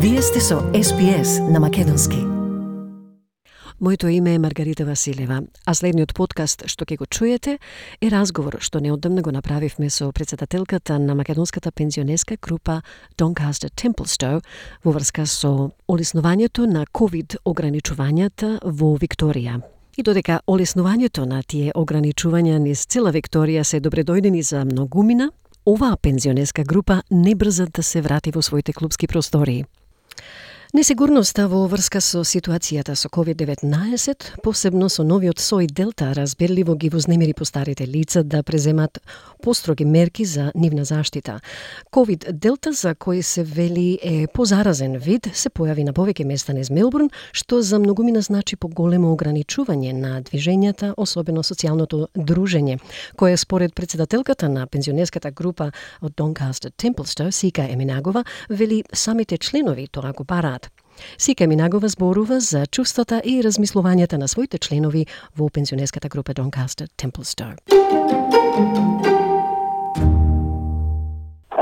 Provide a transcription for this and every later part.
Вие сте со SPS на македонски. Моето име е Маргарита Василева, а следниот подкаст што ќе го чуете е разговор што неодамна го направивме со председателката на македонската пензионерска група Doncaster Templestowe во врска со олеснувањето на COVID ограничувањата во Викторија. И додека олеснувањето на тие ограничувања низ цела Викторија се добредојдени за многумина, оваа пензионерска група не брза да се врати во своите клубски простории. Несигурноста во врска со ситуацијата со COVID-19, посебно со новиот сој Делта, разберливо ги вознемири постарите лица да преземат построги мерки за нивна заштита. COVID Делта, за кој се вели е позаразен вид, се појави на повеќе места низ Мелбурн, што за многумина значи поголемо ограничување на движењата, особено социјалното дружење, кое според председателката на пензионерската група од Doncaster Templestowe, Сика Еминагова, вели самите членови тоа го бараат. Сика Еминагова зборува за чувствата и размислувањата на своите членови во пензионерската група Doncaster Templestowe.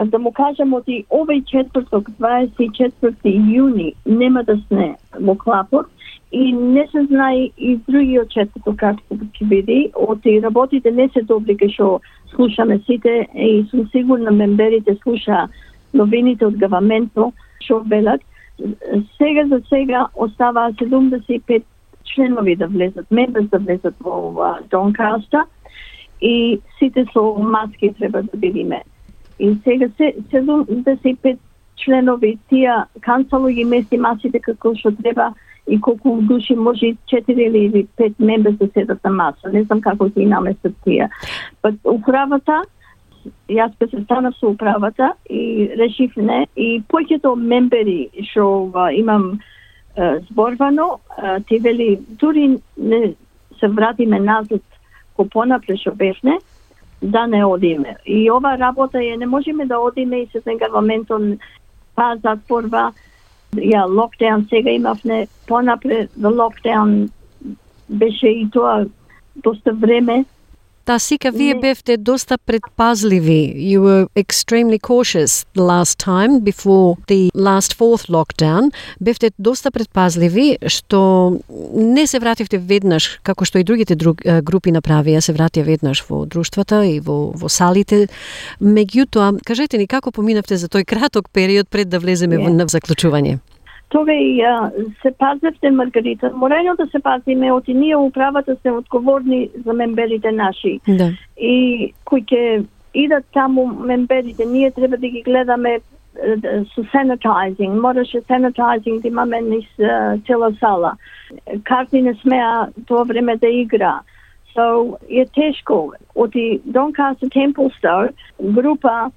Да му кажам, од овој четврток, 24 јуни, нема да сне во клапот и не се знае и другиот четврток како ќе биде. Од работите не се добри кај што слушаме сите и сум сигурна мемберите слуша новините од гаваментот што велат. Сега за сега остава 75 членови да влезат, мемберс да влезат во Doncaster и сите со маски треба да бидиме. И сега 75 членови, тие канцело ги мести масите како што треба и колку души може 4 или 5 мемберс да седат на маса. Не знам како ги наместат тие. Управата, јас се станав со управата и решив не. И повеќето мембери што имам зборвано, ти вели дури не се вратиме назад ко понапред што бевне, да не одиме. И ова работа не можеме да одиме и се гаваментот затворва. Локдаун сега имавме, понапред локдаун беше и тоа доста време. Сика, вие бевте доста предпазливи. You were extremely cautious the last time before the last fourth lockdown. Бевте доста предпазливи што не се вративте веднаш, како што и другите групи направија, се вратија веднаш во друштвата и во салите. Меѓутоа, кажете ни како поминавте за тој краток период пред да влеземе во заклучување? Тога и се пазевте, Маргарита. Морајно да се пазиме, оти ние управата се одговорни за мемберите наши. Да. И кои ќе идат таму мемберите, ние треба да ги гледаме со sanitizing. Мораше sanitizing да имаме низ цела сала. Карти не смеа тоа време да игра. So, е тешко. Оти Doncaster Templestowe група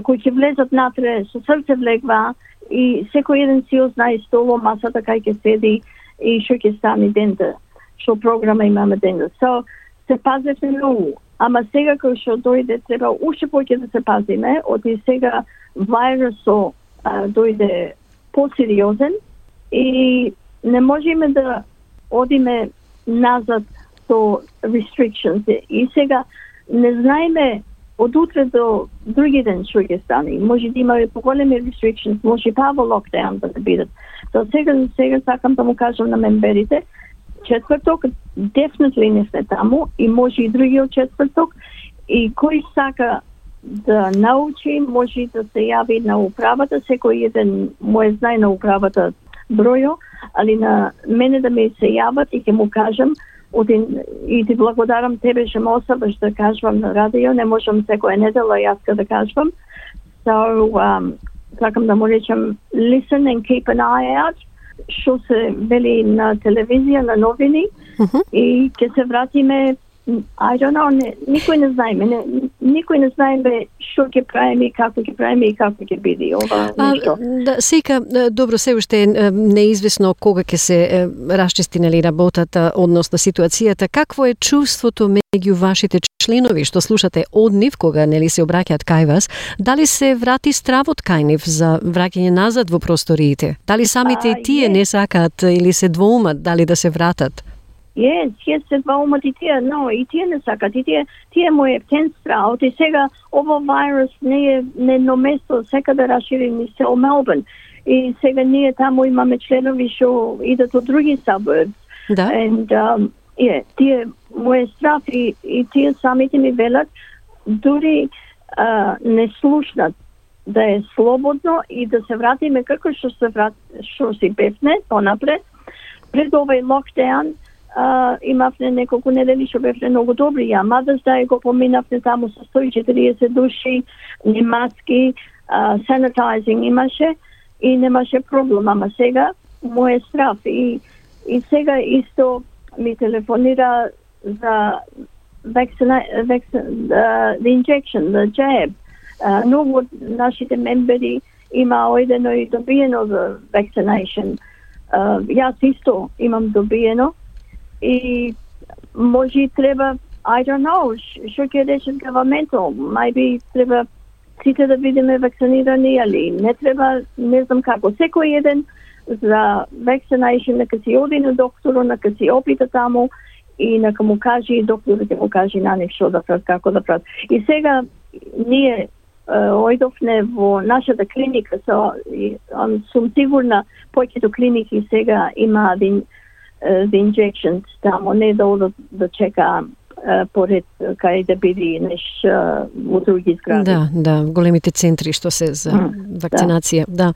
кои ќе влезат натре, со срце влегва, и секој еден си знае столо, масата кај ќе седи и што ќе стане дента, што програма имаме дента. So, се пазевме многу. Ама сега кој што дојде, треба уште повеќе да се пазиме, од и сега вирусот дојде посериозен и не можеме да одиме назад со restrictions. И сега не знаеме од утре до други ден што ќе стане. Може да имаме поголеми restrictions, може и па во локдаун да бидат. Сега сакам да му кажам на мемберите, четврток definitely не сме таму и може и другиот четврток и кој сака да научи, може да се јави на управата, секој еден мој знае на управата бројо, али на мене да ми се јават и ќе му кажам. И ти благодарам тебе што ме оставаш да кажувам на радио, не можам секоја недела јас да кажувам. So, сакам да му речам, listen and keep an eye out, што се вели на телевизија, на новини, и ќе се вратиме, I don't know, никој не знаеме, никој не знаеме што ќе правиме, како ќе правиме и како ќе биде ова нешто. Сика, добро, се уште е неизвестно кога ќе се расчисти работата, односно ситуацијата. Какво е чувството меѓу вашите членови што слушате од нив кога се обраќаат кај вас? Дали се врати стравот кај нив за враќање назад во просториите? Дали самите тие не сакаат или се двоумат дали да се вратат? Yes, се двоумат и тие, но и тие не сакат, и тие му е птен страх, и сега ово вирус не е место, сека да расшири низ цел Мелбурн. и сега ние таму имаме членови што идат од други suburbs. Да. And тие мој страф и тие самите ми велат дури не слушнат да е слободно и да се вратиме како што си бевме понапред. Пред овој локдаун имавме неколку недели што бевме многу добри. Ја Mother's Day го поминавме таму со 140 души, не маски, sanitizing имаше и немаше проблем. Ама сега мој страф и сега исто ми телефонира за the injection, the jab. Многу од нашите мембери има ојдено и добиено за vaccination. Јас исто имам добиено и може треба, I don't know, што ќе рече governmental, maybe треба сите да бидеме вакцинирани, али не треба, не знам како. Секој еден за vaccination нека си оди на докторот, нека си опита таму и нека му каже и докторот ќе му каже на нив што да прават, како да прават. И сега ние ојдовме во нашата клиника, сум сигурна повеќето клиники сега има the injections таму, не да одат да чека поред кај да биде во други згради. Да, големите центри што се за вакцинација. Да.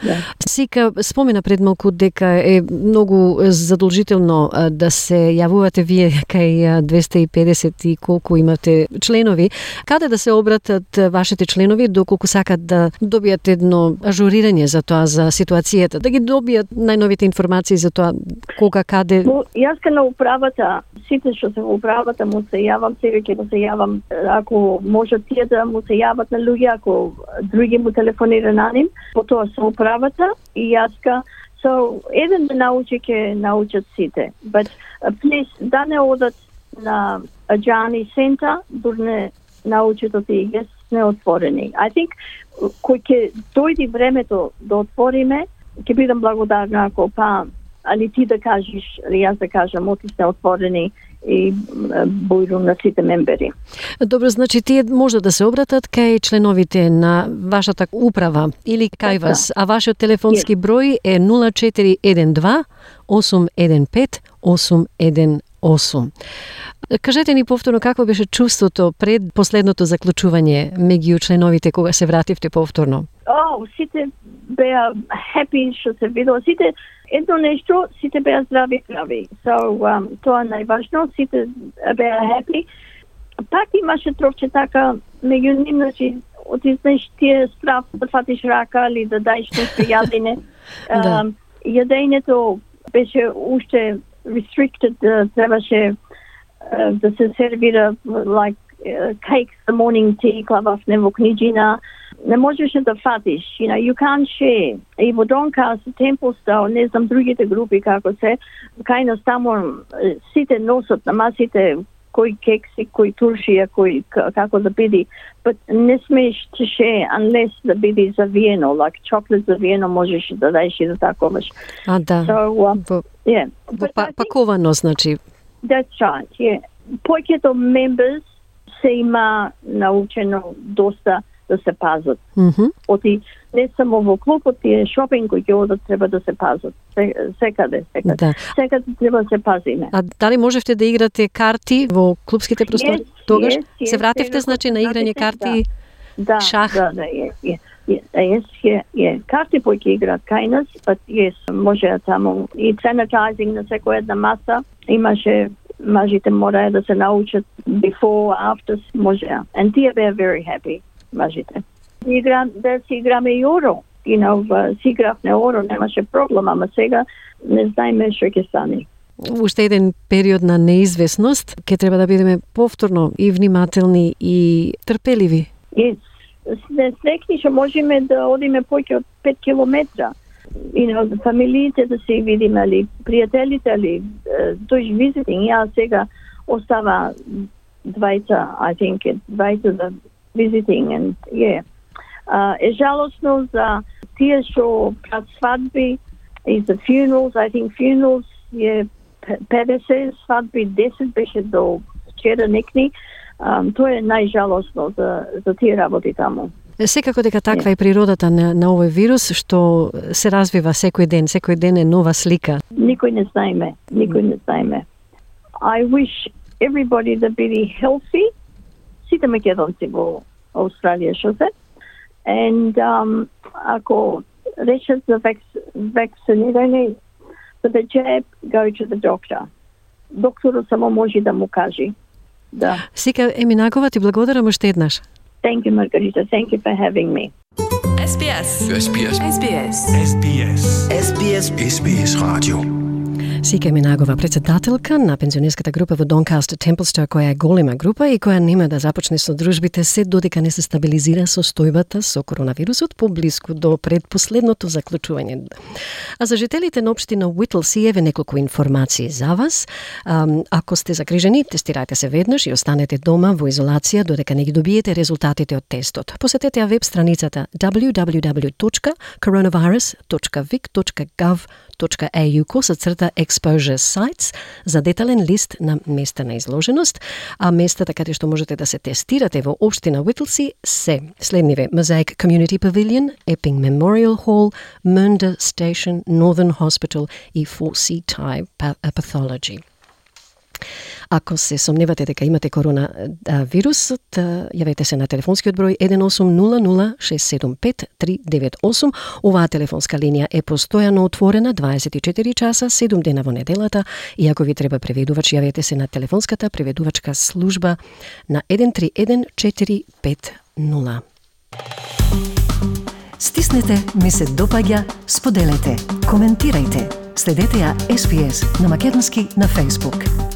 Сика спомена пред малку дека е многу задолжително да се јавувате вие кај 250 и колку имате членови. Каде да се обратат вашите членови доколку сакат да добијат едно ажурирање за тоа, за ситуацијата, да ги добијат најновите информации за тоа кога, каде? Јас на управата, сите што се во управата му се јавам, сега ќе му се јавам, ако можат тие да му се јават на луѓе, ако други му телефонира на ним, потоа со управата и јаска. So, еден да научи, ќе научат сите. But please, да не одат на Ajani Center, дур не научат од тие не отворени. I think, кој ќе дојде времето да отвориме, ќе бидам благодарна ако али ти да кажеш, али јас да кажам, оти сте отворени и бојрум на сите мембери. Добро, значи тие може да се обратат кај членовите на вашата управа или кај вас, а вашиот телефонски број е 0412 815 818. Кажете ни повторно какво беше чувството пред последното заклучување меѓу членовите кога се вративте повторно? Сите беа happy што се видело. Сите едно нешто, сите беа здрави. So, тоа најважно, сите беа happy. Пак имаше трошче така меѓу ним, значи, отиснеш тие страв да фатиш рака или да даеш нешто јадење. Јадењето беше уште restricted, требаше да се сервира like cakes, the morning tea, клававне во книџина. Не можеш да фатиш, you can't share. И во Донкас, Темплстаун, не знам другите групи како се, кај нас таму сите носат на масите кој кекси, кој туршија, кој како да биде, but не смееш to share unless да биде завиено, like chocolate завиено можеш да даеш и да таковаш. Да. So, паковано, значи. That's right, yeah. Повеќето members се има научено доста да се пазат. Оти не само во клубот, тие шопинг кои ќе одат треба да се пазат. Секаде. Да. Секаде треба да се пазиме. А дали можевте да играте карти во клубските простори? Тогаш се вративте, значи, на играње карти, шах? Карти ќе играат кај нас, but може таму и sanitizing на секоја една маса. Имаше мажите мораа да се научат before, after, може. And тие беа very happy. Мажите. Да си играме и оро. Си игравме оро, немаше проблем, ама сега не знаеме што ќе стане. Уште еден период на неизвестност, ќе треба да бидеме повторно и внимателни и трпеливи. Не срекни што можеме да одиме повеќе од 5 километра. Фамилиите да се видиме, али пријателите, али тој visiting. Ја сега остава двајца, I think, двајца за visiting, and е жалосно за тие што пред свадби и за funerals. I think funerals е 50, свадби 10 беше до вчера некни. Тоа е најжалосно за тие работи таму. Секако дека таква е природата на овој вирус, што се развива секој ден е нова слика. Никој не знаеме. I wish everybody to be healthy. Сите македонци во Австралија што се. And ако решат за вакцинирање, for the jab, go to the doctor. Докторот само може да му каже. Да. Сика Еминакова, ти благодарам уште еднаш. Thank you, Margarita. Thank you for having me. SBS Radio. Сика Еминакова, председателка на пензионерската група во Doncaster Templestowe, која е голема група и која нема да започне со дружбите се додека не се стабилизира состојбата со коронавирусот поблиску до предпоследното заклучување. А за жителите на општина Whittlesea еве неколку информации за вас. Ако сте загрижени, тестирајте се веднаш и останете дома во изолација додека не ги добиете резултатите од тестот. Посетете ја веб страницата www.coronavirus.vic.gov.au/exposure sites за детален лист на места на изложеност, а местата каде што можете да се тестирате во општина Whittlesea се следниве: Mosaic Community Pavilion, Epping Memorial Hall, Mernda Station, Northern Hospital и 4C Thai Pathology. Ако се сомневате дека имате коронавирусот, јавете се на телефонскиот број 1800-675-398. Оваа телефонска линија е постојано отворена 24 часа, 7 дена во неделата, и ако ви треба преведувач, јавете се на телефонската преведувачка служба на 131450. Стиснете, ми се допаѓа, споделете, коментирајте. Следете ја SBS на македонски на Facebook.